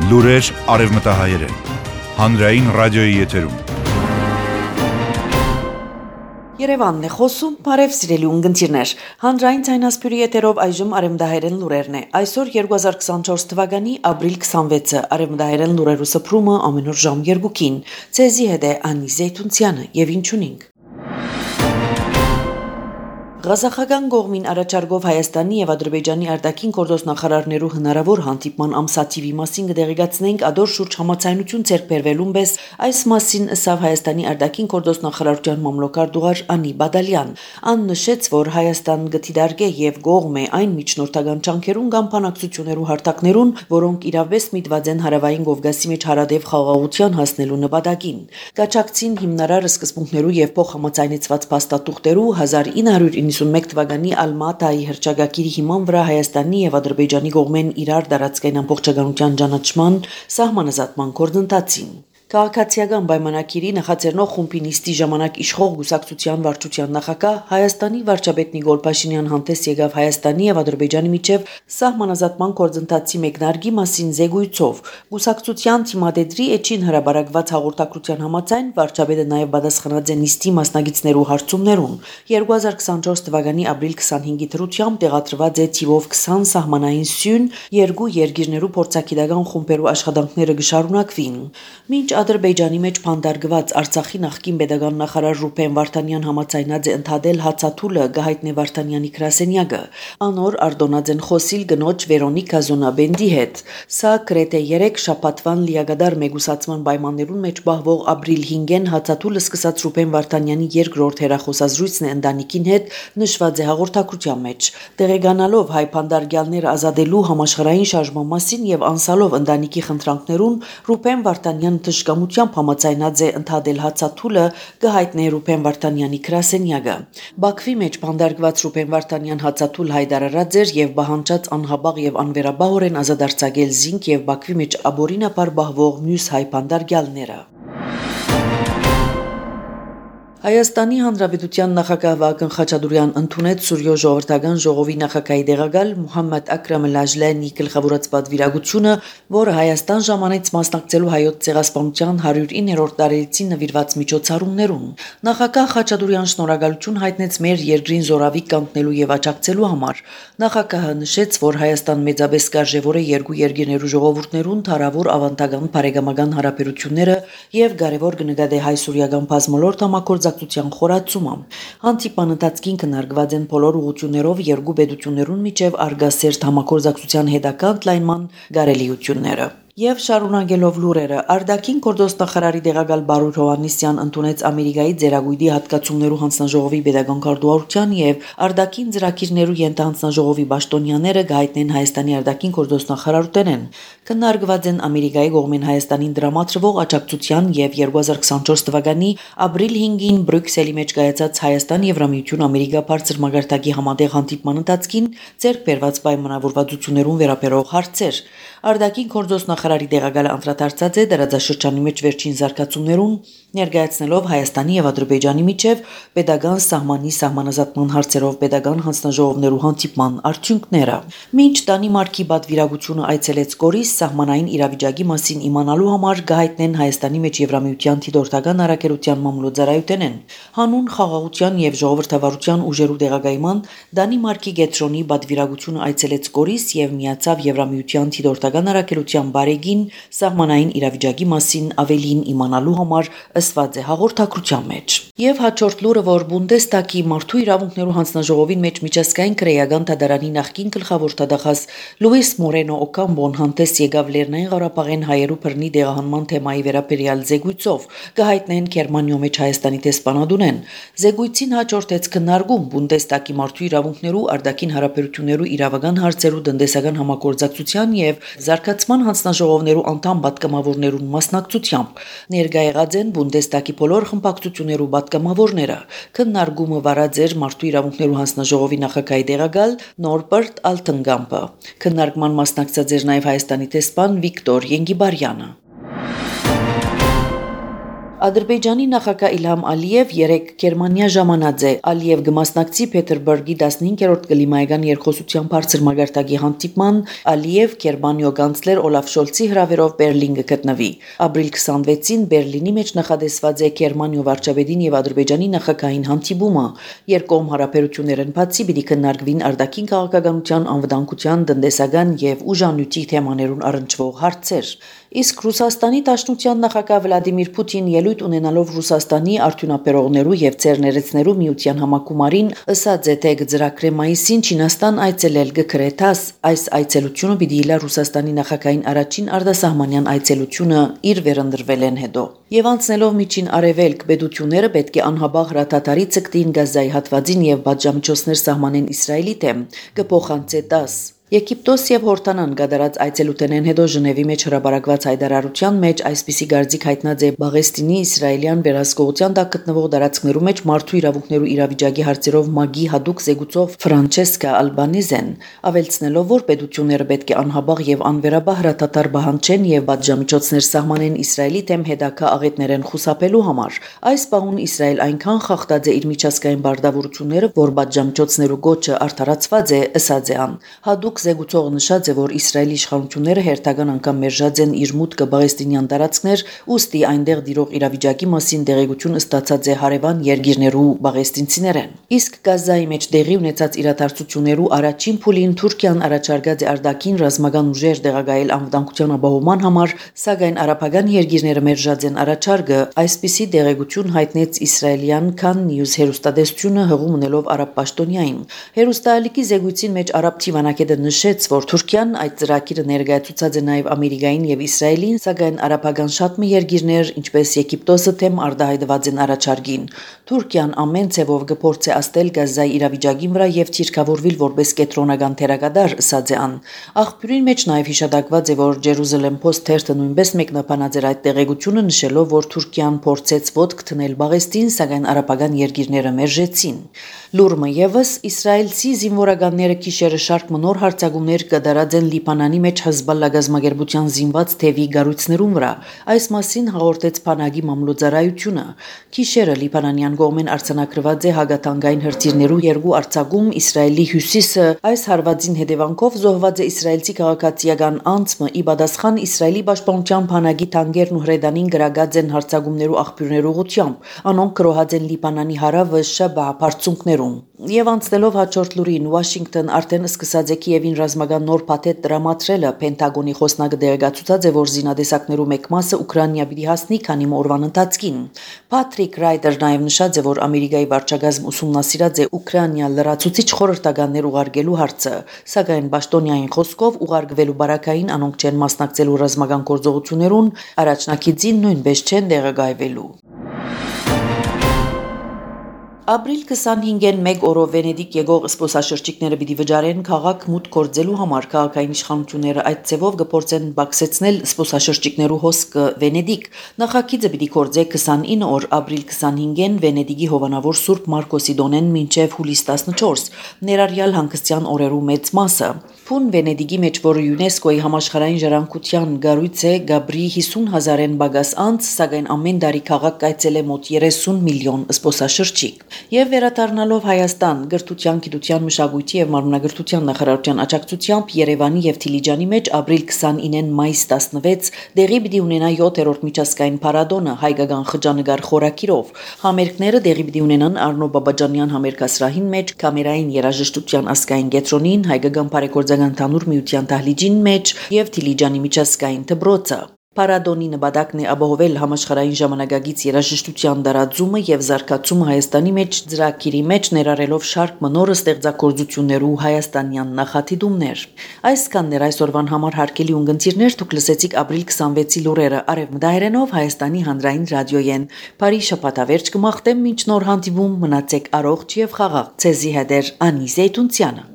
Լուրեր արևմտահայերեն, հանրային ռադիոյի եթերում։ Երևանն է խոսում, բարև սիրելի ունգընտիրներ, հանրային ցայնասպյուրի եթերով այժմ արևմտահայերեն լուրերն է, այսօր 2024 թվականի ապրիլ 26-ը, արևմտահայերեն լուրերու սփռումը ամեն օր ժամ 2-ին, ցեզի հետ է Անի Զեյթունցյանը եւ ինչ ունենք։ Ղազախական կողմին առաջարկով Հայաստանի եւ Ադրբեջանի արտաքին գործոստ նախարարներու հնարավոր հանդիպման ամսաթիվի մասին կդեղեկացնենք ադոր շուրջ համաձայնություն ձեռք բերվելուն պես այս մասին ըսավ Հայաստանի արտաքին գործոստ նախարարության մամլոքարտուղար Անի Բադալյան։ Ան նշեց, որ Հայաստան գտիդարգե եւ կողմ է այն միջնորդական ջանքերուն կամ բանակցություններու հարթակներուն, որոնք իրավես միտված են հարավային Կովկասի մեջ հարադեպ խաղաղության հասնելու նպատակին։ Կաչակցին հիմնարար սկզբունքներու եւ փոխհամաձայնեցված փաստաթուղթերու 1991 թվականի Ալմատայի հռչակագիրի հիման վրա Հայաստանի եւ Ադրբեջանի կողմեն իրար տարածքային ամբողջականության ճանաչման սահմանազատման գործընթացին։ Քաղաքացիական պայմանագիրի նախաձեռնող խումբի նիստի ժամանակ իշխող գուսակցության վարչության նախագահ Հայաստանի վարչապետ Նիկոլ Փաշինյան հանդես եկավ Հայաստանի եւ Ադրբեջանի միջև սահմանազատման գործընթացի մեկնարկի մասին զեկույցով։ Գուսակցության թիմադեդրի էջին հրաբարակված հաղորդակցության համաձայն վարչապետը նաեւ պատասխանած է նիստի մասնակիցներու հարցումներուն։ 2024 թվականի ապրիլ 25-ի դրությամբ տեղադրված է թիվով 20 սահմանային սյուն երկու երկիրներու փորձագիտական խումբերու աշխատանքները կշարունակվին։ Մինչ Ադրբեջանի մեջ փանդարգված Արցախի նախկին պետական նախարար Ռուփեն Վարդանյան համաձայնած է ընդհատել հացաթուլը գահիտնե Վարդանյանի գրասենյակը, անոր Արտոնաձեն խոսիլ գնոջ Վերոնիկա Զոնաբենդի հետ։ Սա գրեթե 3 շաբաթվան լիագադար մեգուսացման պայմաններուն մեջ բահվող ապրիլ 5-ին հացաթուլը սկսած Ռուփեն Վարդանյանի երկրորդ հերախոսազրույցն է ընտանիքին հետ նշված է հաղորդակցության մեջ։ Տեղեկանալով հայ փանդարգյալները ազատելու համաշխարհային շարժման մասին եւ անսալով ընտանիքի խնդրանքներուն Ռուփեն Վարդանյան դժկամությամբ համաձայնած է ընդհատել հացաթուլը գահիտնե Ռուփեն Վարդանյանի գրասենյակը։ Բաքվի մեջ փանդարգված Ռուփեն Վարդանյան հացաթուլ հայտարարած էր եւ բահանջած անհաբաղ եւ անվերաբահորեն ազատարձակել զինք եւ Բաքվի մեջ աբորինապար բահվող մյուս հայ փանդարգյալները։ Հայաստանի Հանրապետության նախագահ Վահագն Խաչատուրյան ընդունեց Սուրյո ժողովրդական ժողովի նախագահի տեղակալ Մուհամմադ Աքրամ Լաջլյանի գլխավորած պատվիրակությունը, որը Հայաստան ժամանեց մասնակցելու հայոց ցեղասպանության 109-րդ տարելիցին նվիրված միջոցառումներուն։ Նախագահ Խաչատուրյան շնորհակալություն հայտնեց մեր երկրին զորավիք կանգնելու եւ աջակցելու համար։ Նախագահը նշեց, որ Հայաստան մեծապես կարժևոր է երկու երկիրներու ժողովուրդներուն թարավոր ավանդական բարեկամական հարաբերությունները եւ կարեւոր կնկատի հայ-սուրիական բազմոլորտ համագործակցության խորացումը։ Հանդիպման ընթացքին քննարկված են բոլոր ուղղություններով երկու պետություններուն միջև արգասերտ համագործակցության հետագա ընդլայնման կարելիությունները։ Եվ շարունակելով լուրերը, արտաքին գործոստ նախարարի տեղակալ Բարույր Հովհաննիսյան ընդունեց Ամերիկայի ձեռագույտի հատկացումներու հանձնաժողովի պետական քարտուղարության եւ արտաքին ծրագիրներու ենթահանձնաժողովի պաշտոնյաները գայտնեն Հայաստանի արտաքին գործոստ նախարարութենեն։ Քննարկված են Ամերիկայի կողմեն Հայաստանին դրամատրվող աջակցության եւ 2024 թվականի ապրիլ 5-ին Բրյուսելի մեջ կայացած Հայաստան-Եվրամիություն Ամերիկա բարձր մակարդակի համատեղ հանդիպման ընթացքին ձեռք բերված պայմանավորվածություններուն վերաբերող հարցեր։ Արտաքին գործոստ նախարարի տեղակալը անդրադարձած է դարաձաշրջանի մեջ վերջին զարգացումներուն, ներկայացնելով Հայաստանի եւ Ադրբեջանի միջև պետական սահմանի սահմանազատման հարցերով պետական հանձնաժողովներու հանդիպման արդյունքները։ Մինչ Դանիմարկի պատվիրակությունը այցելեց Գորիս սահմանային իրավիճակի մասին իմանալու համար գահիտնեն Հայաստանի մեջ Եվրամիության դիտորդական առաքելության մամլոյցարայութենեն։ Հանուն խաղաղության եւ ժողովրդավարության ուժերու տեղակայման Դանիմարկի Գետրոնի պատվիրակությունը այցելեց Գորիս եւ միացավ Եվրամիության դիտորդական առաքելության բարեգին սահմանային իրավիճակի մասին ավելին իմանալու համար ըսված է հաղորդակցության մեջ։ Եվ հաջորդ լուրը, որ Բունդեստագի մարդու իրավունքներու հանձնաժողովին մեջ միջազգային քրեական դատարանի նախկին գլխավոր դատախազ Լուիս Մորենո Օկամբոն հանդես եկավ Լեռնային Ղարաբաղեն հայերու բռնի դեղահանման թեմայի վերաբերյալ զեկույցով, կհայտնեն Գերմանիո մեջ Հայաստանի տեսփանադունեն։ Զեկույցին հաջորդեց քննարկում Բունդեստագի մարդու իրավունքներու, արտաքին հարաբերություններու իրավական հարցերու տնտեսական համագործակցության եւ զարգացման հանձնաժողովներու անդամ պատգամավորներուն մասնակցությամբ։ Ներկա եղած են Բունդեստագի բոլոր խմբակցություններու պատգամավորները։ Քննարկումը վարած էր մարդու իրավունքներու հանձնաժողովի նախագահի տեղակալ Նորբերտ Ալթնգամպը։ Քննարկման մասնակցած էր նաև Հայաստանի տեսփան Վիկտոր Ենգիբարյանը։ Ադրբեջանի նախագահ Իլհամ Ալիև երեկ Գերմանիա ժամանած է։ Ալիև կմասնակցի Փետրբուրգի 15-րդ կլիմայական երկխոսության բարձր մագարտակի հանդիպման, Ալիև Գերմանիո կանցլեր Օլաֆ Շոլցի հրավերով Բերլին կգտնվի։ Ապրիլ 26-ին Բերլինի մեջ նախադեсված է Գերմանիո վարչապետին եւ Ադրբեջանի նախագահային հանդիպումը։ Երկկողմ հարաբերություններն բացի պիտի քննարկվին արտաքին քաղաքականության, անվտանգության, տնտեսական եւ ուժանյութի թեմաներուն առնչվող հարցեր։ Իսկ Ռուսաստանի Դաշնության նախագահ Վլադիմիր Պուտին ելույթ ունենալով Ռուսաստանի արդյունաբերողներու եւ ցերներեցներու միության համակումարին ըսած է թե գծրակրե մայիսին Չինաստան այցելել գկրեթաս այս այցելությունը պիտի իլա Ռուսաստանի նախագահային առաջին արտասահմանյան այցելությունը իր վերընտրվել են հետո եւ անցնելով միջին արևելք պետությունները պետք է անհաբաղ հրաթաթարի ցկտին գազայի հատվածին եւ բաժամիջոցներ սահմանեն Իսրայելի դեմ կփոխանցե 10 Եգիպտոս եւ Հորդանան գդարած այցելութենեն հետո Ժնևի մեջ հրապարակված հայտարարության մեջ այսպիսի գարձիկ հայտնած է Բաղեստինի իսրայելյան վերահսկողության տակ գտնվող դարածքներու մեջ մարդու իրավունքներու իրավիճակի հարցերով ՄԱԳ-ի հadoop զեկուցող Ֆրանչեսկա Ալբանիզեն ավելցնելով որ պետությունները պետք է անհաբաղ եւ անվերաբար հրատատար բանջեն եւ բաժամիջոցներ սահմանեն Իսրայելի դեմ հետակա աղետներեն խուսափելու համար այս պահուն Իսրայել այնքան խախտած է իր միջազգային բարդավորությունները որ բաժամիջոցներու գոչը արդարացված է ըսած է ան հadoop Զեկուցողը նշած է, որ Իսրայելի իշխանությունները հերթական անգամ մերժած են իր մուտքը բաղեստինյան տարածքներ, ուստի այնտեղ դիրող իրավիճակի մասին տեղեկություն ստացած է հարևան երկիրներու բաղեստինցիներեն։ Իսկ Գազայի մեջ տեղի ունեցած իրադարձություններու առաջին փուլին Թուրքիան առաջարկած է արտաքին ռազմական ուժեր տեղակայել անվտանգության ապահովման համար, սակայն արաբական երկիրները մերժած են առաջարկը, այսպիսի տեղեկություն հայտնեց իսրայելյան Khan News հեռուստատեսությունը հղում ունելով արաբ պաշտոնյային։ Հեռուստաալիքի զեկույցին մեջ արաբ թիվանակետը նշեց, որ Թուրքիան այդ ծրագիրը ներկայացուցած է նաև Ամերիկային եւ Իսրայելին, սակայն արաբական շատ մի երկիրներ, ինչպես Եգիպտոսը, թեմ արտահայտված են առաջարկին։ Թուրքիան ամեն ցևով կփորձի աստել Գազայի իրավիճակի վրա եւ թիրքավորվել որպես կենտրոնական թերակատար, ըսած է ան։ Աղբյուրին մեջ նաև հիշատակված է, որ Jerusalem Post թերթը նույնպես մեկնաբանած էր այդ տեղեկությունը, նշելով, որ Թուրքիան փորձեց ոտք դնել Բաղեստին, սակայն արաբական երկիրները մերժեցին։ Լուրմը եւս իսրայելցի զինվորականները գիշերը շարք նոր հարձակումներ կդարած են Լիբանանի մեջ Հեզբալլա գազམ་ագերբության զինված թևի գառույցներուն վրա։ Այս մասին հաղորդեց Փանագի մամլոյցարայությունը։ Գիշերը Լիբանանյան կողմեն արձանագրված է հագատանգային հրթիռներու երկու արձակում Իսրայելի հյուսիսը։ Այս հարվածին հետևանքով զոհված է իսրայելցի քաղաքացիական անձը՝ ի պատասխան Իսրայելի պաշտպանության Փանագի տանկերն ու հրեդանին գրագած են հարձակումներու աղբյուրներու ուղղությամբ։ Անոնք կրոհած են Լիբանանի հարավը Շաբա բարձունքներում։ Եվ անցնելով հաջորդ լուրին Վաշինգտոն արդեն սկսած է Կիևին ռազմական նոր փաթեթ տրամադրելը Պենտագոնի խոսնակը դերակացուցած է որ զինադեսակներու մեկ մասը Ուկրաինա պիտի հասնի քանի օրվան ընթացքին Փատրիկ Ռայդեր նաև նշած է որ Ամերիկայի վարչագազմ ուսումնասիրած է Ուկրաինա լրացուցիչ խորհրդականներ ուղարկելու հարցը սակայն պաշտոնյային խոսքով ուղարկվելու բարակային անոնք չեն մասնակցելու ռազմական գործողություններուն առաջնակիցին նույնպես չեն դեղագայվելու Ապրիլ 25-ին մեկ օրով Վենեդիկ եկող զբոսաշրջիկները պիտի վճարեն քաղաք մուտք գործելու համար քաղաքային իշխանությունները այդ ձևով կփորձեն բացեցնել զբոսաշրջիկներու հոսքը Վենեդիկ նախագիծը պիտի գործե 29 օր ապրիլ 25-ին Վենեդիկի հովանավոր Սուրբ Մարկոսի դոնեն մինչև հուլիս 14 ներառյալ հանգստյան օրերու մեծ մասը Փուն Վենեդիկի մեջ որը ՅՈՒՆԵՍԿՕ-ի համաշխարհային ժառանգության գառույց է Գաբրի 50,000-ն բագաս անց սակայն ամեն տարի քաղաք կայցել է մոտ 30 միլիոն զբոսաշրջիկ Եվ վերադառնալով Հայաստան գրթության, գիտության, մշակույթի եւ մարմնագրթության նախարարության աջակցությամբ Երևանի եւ Դիլիջանի մեջ ապրիլ 29-ին մայիս 16 դեղի պիտի ունենա 7-րդ միջազգային փառատոնը հայկական խճանկար խորակիրով։ Համերգները դեղի պիտի ունենան Արնո Բաբաջանյան համերգասրահին մեջ, կամերային երաժշտության ազգային կենտրոնին, հայկական բարեգործական թանուր միության դահլիճին մեջ եւ Դիլիջանի միջազգային դպրոցը։ Փառատոնի նպատակն է ապահովել համաշխարհային ժամանակակից երաժշտության դարաձումը եւ զարգացումը Հայաստանի մեջ ծրագիրի մեջ ներառելով շարք մնոր ստեղծագործություններու հայաստանյան նախադիտումներ։ Այսքաններ այսօրվան համար հարգելի ունգընտիրներ դուք լսեցիք ապրիլ 26-ի լուրերը Արևմտահայերենով Հայաստանի հանրային ռադիոյեն։ Բարի շաբաթավերջ կմաղթեմ մինչ նոր հանդիպում մնացեք առողջ եւ խաղաղ ցեզի հետեր Անի Զեյթունցյանը